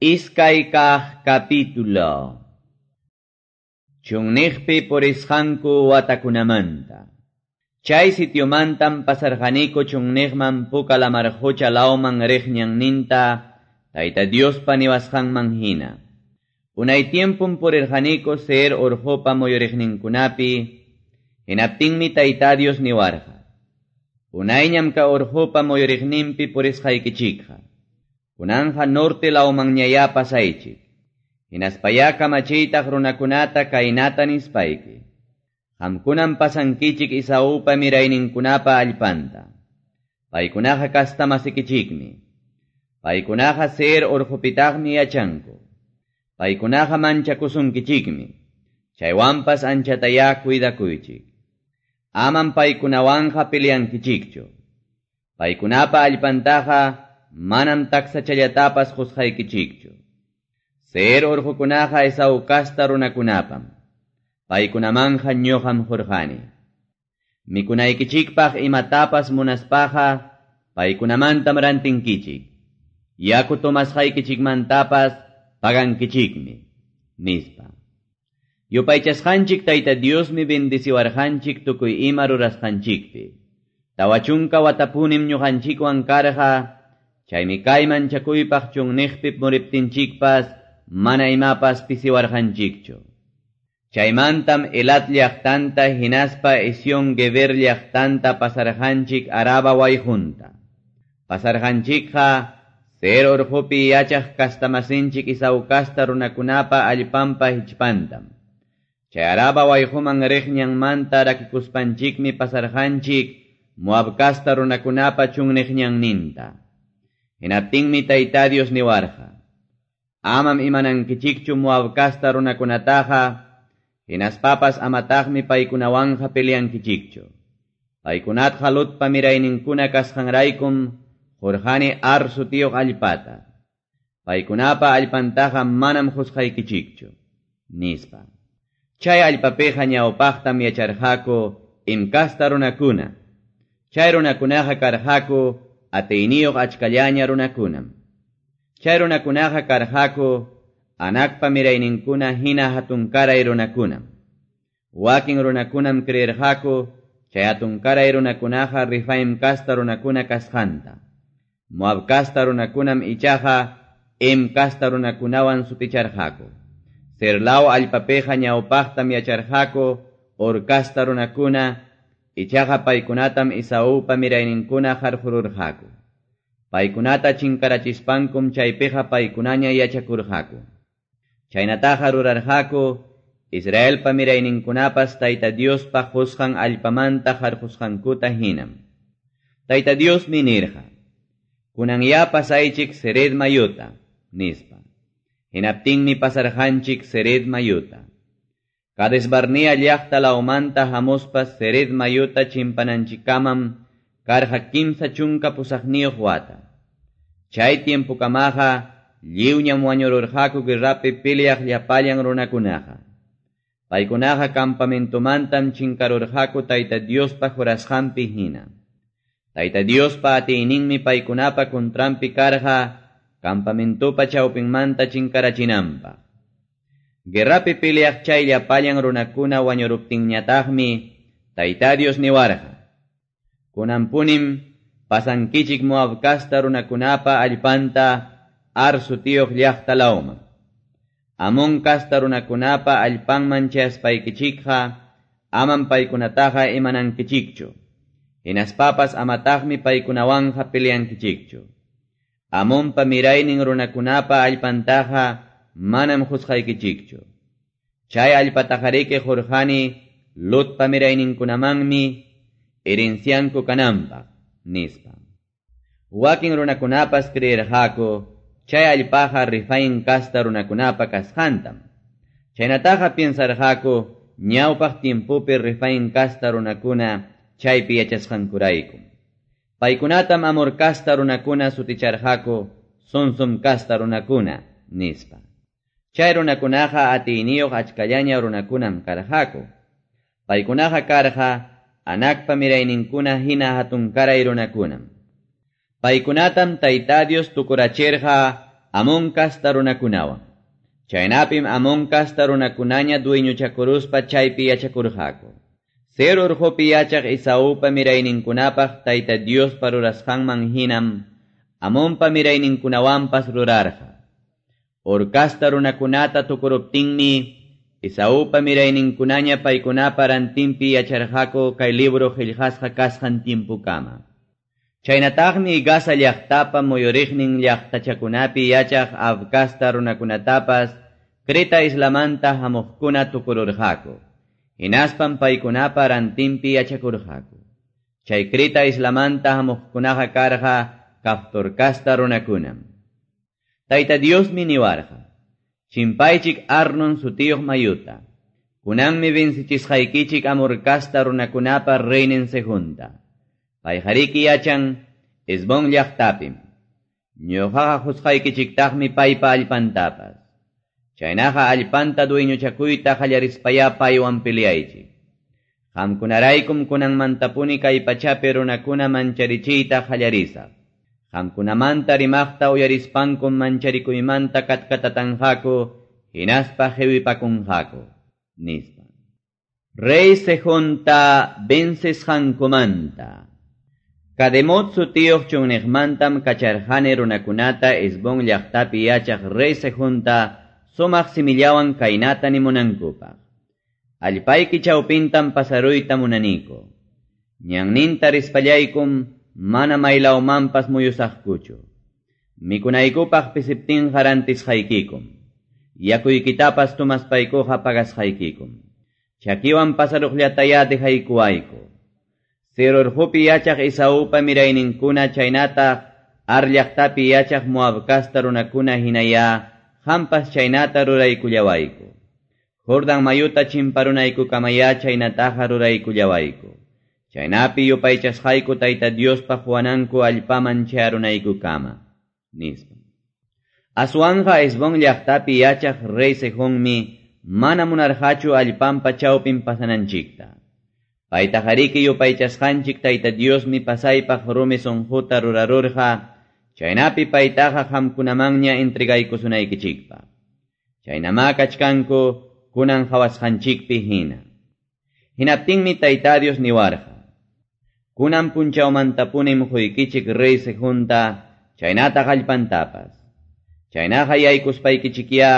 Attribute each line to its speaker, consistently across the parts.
Speaker 1: Iskay kaq capítulo. Chunniqpi purisqanku watakunamanta. Chay sitiomantam pasarqaniku chunniqman Puka lamar qucha lawman riq ñanninta Tayta Diospa niwasqanman hina. Unay tiempum purirqaniku Seir urqupa muyuriqninkunapi, hinaptinmi Tayta Dios niwarqa. Unayñam ka urqupa muyuriqninpi purisqaykichikqa. Kunanja norte lawmanñayá pasaychik. Hinaspayá kamachiytaq runakunata kaynata nispayki. Qamkunam pasankichik Esaupa mirayninkunapa allpanta. Paykunaqa kastamasikichikmi. Paykunaqa Seir urqupitaqmi yachanku. Paykunaqa manchakusunkichikmi. Chaywanpas anchatayá cuidakuychik. Amam paykunawanqa peleankichikchu. Paykunapa allpantaqa manam taksachallatapas qusqaykichikchu. Seir urqukunaqa Esau kasta runakunapam. Paykunamanja ñuqam qurqani. Mikunaykichikpaq imatapas munaspaqa paykunamantam rantinkichik. Yaku tomasqaykichikmantapas pagankichikmi, nispa. Yupaychasqanchik Tayta Diosmi bendeciwarqanchik tukuy ima rurasqanchikpi. 40 watapunim ñuqanchikwan karqa, chaymi kay manchakuypaq chunniqpi muriptinchikpas mana imapas pisiwarqanchikchu. Chaymantam Elat llaqtanta hinaspa Ezión Geber llaqtanta pasarqanchik Araba wayqunta. Pasarqanchikqa Seir urqupi yachaq kastamasinchik Esau kasta runakunapa allpanpa hichpantam. Chay Araba wayquman riq ñanmanta rakikuspanchikmi pasarqanchik Moab kasta runakunapa chunniq ñanninta. Hinaptinmi Tayta Dios niwarqa. Amam imanankichikchu Moab kasta runakunataqa, hinaspapas amataqmi paykunawanja peleankichikchu. Paykunatqa Lotpa mirayninkuna kasqanraykum qurqani Ar sutiyuq allpata. Paykunapa allpantaqa manam qusqaykichikchu, nispa. Chay allpapiqa ñawpaqtam yacharqaku Em kasta runakuna. Chay runakunaqa karqaku atiyniyuq achkallaña runakunam. Chay runakunaqa karqaku Anakpa mirayninkuna hina hatunkaray runakunam. Wakin runakunam creerqaku chay hatunkaray runakunaqa Rifaim kasta runakuna kasqanta. Moab kasta runakunam ichaqa Em kasta runakunawan suticharqaku. Seir law allpapiqa ñawpaqtam yacharqaku Hor kasta runakuna, ichaqa paykunatam Esaupa mirayninkuna qarqururqaku. Paykunata chinkarachispankum chaypiqa paykunaña yachakurqaku. Chaynataqa rurarqaku Israelpa mirayninkunapas Tayta Diospa qusqan allpamanta qarqusqankuta hinam. Tayta Diosmi nirqa: Kunanyá pasaychik Zered mayuta, nispa. Hinaptinmi pasarqanchik Zered mayuta. Cades Barnea llaqta lawmanta hamuspa Zered mayuta chimpananchikkamam karqa 38 wata. Chay tiempokamaqa lliwñam wañururqaku guerrapi peleaq llapallan runakunaqa. Paykunaqa campamentomantam chinkarurqaku Tayta Diospa jurasqanpi hina. Tayta Diospa atiyninmi paykunapa contranpi karqa campamentopa chawpinmanta chinkarachinanpaq. Guerrapi peleaq chay llapallan runakuna wañuruptinñataqmi Tayta Dios niwarqa: Kunanpunim pasankichik Moab kasta runakunapa allpanta Ar sutiyuq llaqta lawman. Amón kasta runakunapa allpanman chayaspaykichikqa amam paykunataqa imanankichikchu. Hinaspapas amataqmi paykunawanja peleankichikchu. Amonpa miraynin runakunapa allpantaqa manam qusqaykichikchu. Chay allpataqariki qurqani Lotpa mirayninkunamanmi herencianku kananpaq, nispa. Wakin runakunapas creerqaku chay allpaqa Rifaim kasta runakunapa kasqantam. Chaynataqa piensarqaku ñawpaq tiempopi Rifaim kasta runakuna chaypi yachasqankurayku. Paykunatam Amor kasta runakuna suticharqaku Sonsum kasta runakuna, nispa. Chay runakunaqa atiyniyuq achkallaña runakunam karqaku. Paykunaqa karqa Anakpa mirayninkuna hina hatunkaray runakunam. Paykunatam Tayta Dios tukurachirqa Amón casta runakunawan. Chaynapim Amón casta runakunaña dueñochakuruspa chaypi yachakurqaku. Seir urqupi yachaq Esaupa mirayninkunapaq Tayta Diospa rurasqanman hinam Amonpa mirayninkunawanpas rurarqa. Hor casta runakunata tukuruptinmi Esaupa mirayninkunaña paykunapa rantinpi yacharqaku kay libro qillqasqa kasqan tiempokama. Chaynataqmi Gaza llaqtapa muyuriqnin llaqtachakunapi yachaq Av casta runakunatapas Creta islamanta hamuqkuna tukururqaku. Hinaspam paykunapa rantinpi yachakurqaku. Chay Creta islamanta hamuqkunaqa karqa Caftor casta runakunam. Tayta Diosmi niwarqa: Chimpaychik Arnon sutiyuq mayuta. Kunanmi vencichisqaykichik Amor casta runakunapa reynin Sehonta. Payqariki yachan Hesbón llaqtapim. Ñuqaqa qusqaykichiktaqmi paypa allpantapas. Chaynaqa allpanta dueñochakuyta qallarispayá paywan peleaychik. Qamkunaraykum kunanmantapuni kay pachapi runakuna mancharichiyta qallarisaq. Qamkunamanta rimaqta uyarispankum mancharikuymanta katkatatanqaku hinaspa qiwipakunqaku, nispa. Rey Sehonta vencesqankumanta. Kademot sutiyuq chunniqmantam kacharqani runakunata Hesbón llaqtapi yachaq rey Sehonta sumaq simillawan kaynata nimunankupaq. Allpayki chawpintam pasaruyta munaniku. Ñanninta rispallaykum mana maylawmanpas muyusaqkuchu. Mikunaykupaq pisiptinqa rantisqaykikum. Yakuykitapas tomaspaykuqa pagasqaykikum. Chakiwan pasaruqllatayá dejaykuwayku. Seir urqupi yachaq Esaupa mirayninkuna chaynataq Ar llaqtapi yachaq Moab casta runakuna hinayá qampas chaynata ruraykullawayku. Jordan mayuta chimparunaykukamayá chaynataqa ruraykullawayku. Chaynapi yupaychasqayku Tayta Diospa quwananku allpaman chayarunaykukama, nispa. Aswanqa Hesbón llaqtapi yachaq rey Sehonmi mana munarqachu allpanpa chawpin pasananchikta. Paytaqariki yupaychasqanchik Tayta Diosmi pasaypaq rumi sunquta rurarurqa, chaynapi paytaqa qamkunamanña entregaykusunaykichikpaq. Chaynamá kachkanku kunan qhawasqanchikpi hina. Hinaptinmi Tayta Dios niwarqa: Kunan punchawmantapunim quykichik rey Sehonta, chaynataq allpantapas. Chaynaqa yaykuspaykichikyá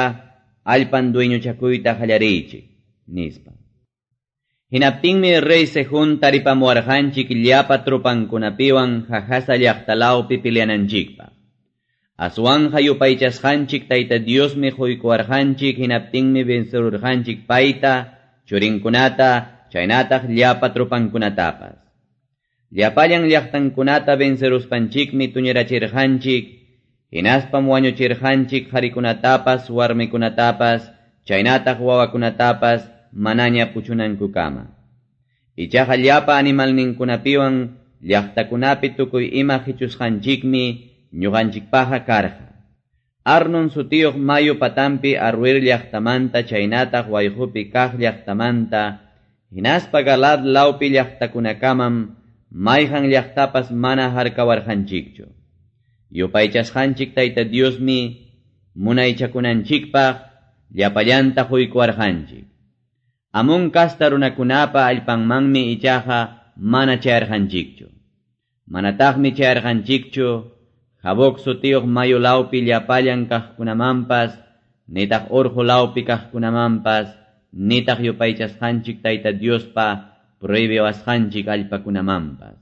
Speaker 1: allpan dueñochakuyta qallariychik, nispa. Hinaptinmi rey Sehón taripamuwarqanchik llapa tropankunapiwan Jahaza llaqtalawpi peleananchikpaq. Aswanqa yupaychasqanchik Tayta Diosmi quykuwarqanchik hinaptinmi vencerurqanchik payta, churinkunata, chaynataq llapa tropankunatapas. Llapallan llaqtankunata venceruspanchikmi tuñirachirqanchik, hinaspam wañuchirqanchik qharikunatapas, warmikunatapas, chaynataq wawakunatapas manaña puchunankukama. Ichaqa llapa animalninkunapiwan llaqtakunapi tukuy ima qichusqanchikmi ñuqanchikpaqqa karqa. Arnon sutiyuq mayu patampi Aroer llaqtamanta chaynataq wayqupi kaq llaqtamanta, hinaspa Galaad lawpi llaqtakunakamam mayqan llaqtapas mana harkawarqanchikchu. Yupaychasqanchik Tayta Diosmi munaychakunanchikpaq llapallanta quykuwarqanchik. Amón casta runakunapa allpanmanmi ichaqa mana chayarqanchikchu. Manataqmi chayarqanchikchu Jaboc sutiyuq mayu lawpi llapallan kaqkunamanpas, nitaq urqu lawpi kaqkunamanpas, nitaq yupaychasqanchik Tayta Diospa prohibiwasqanchik allpakunamanpas.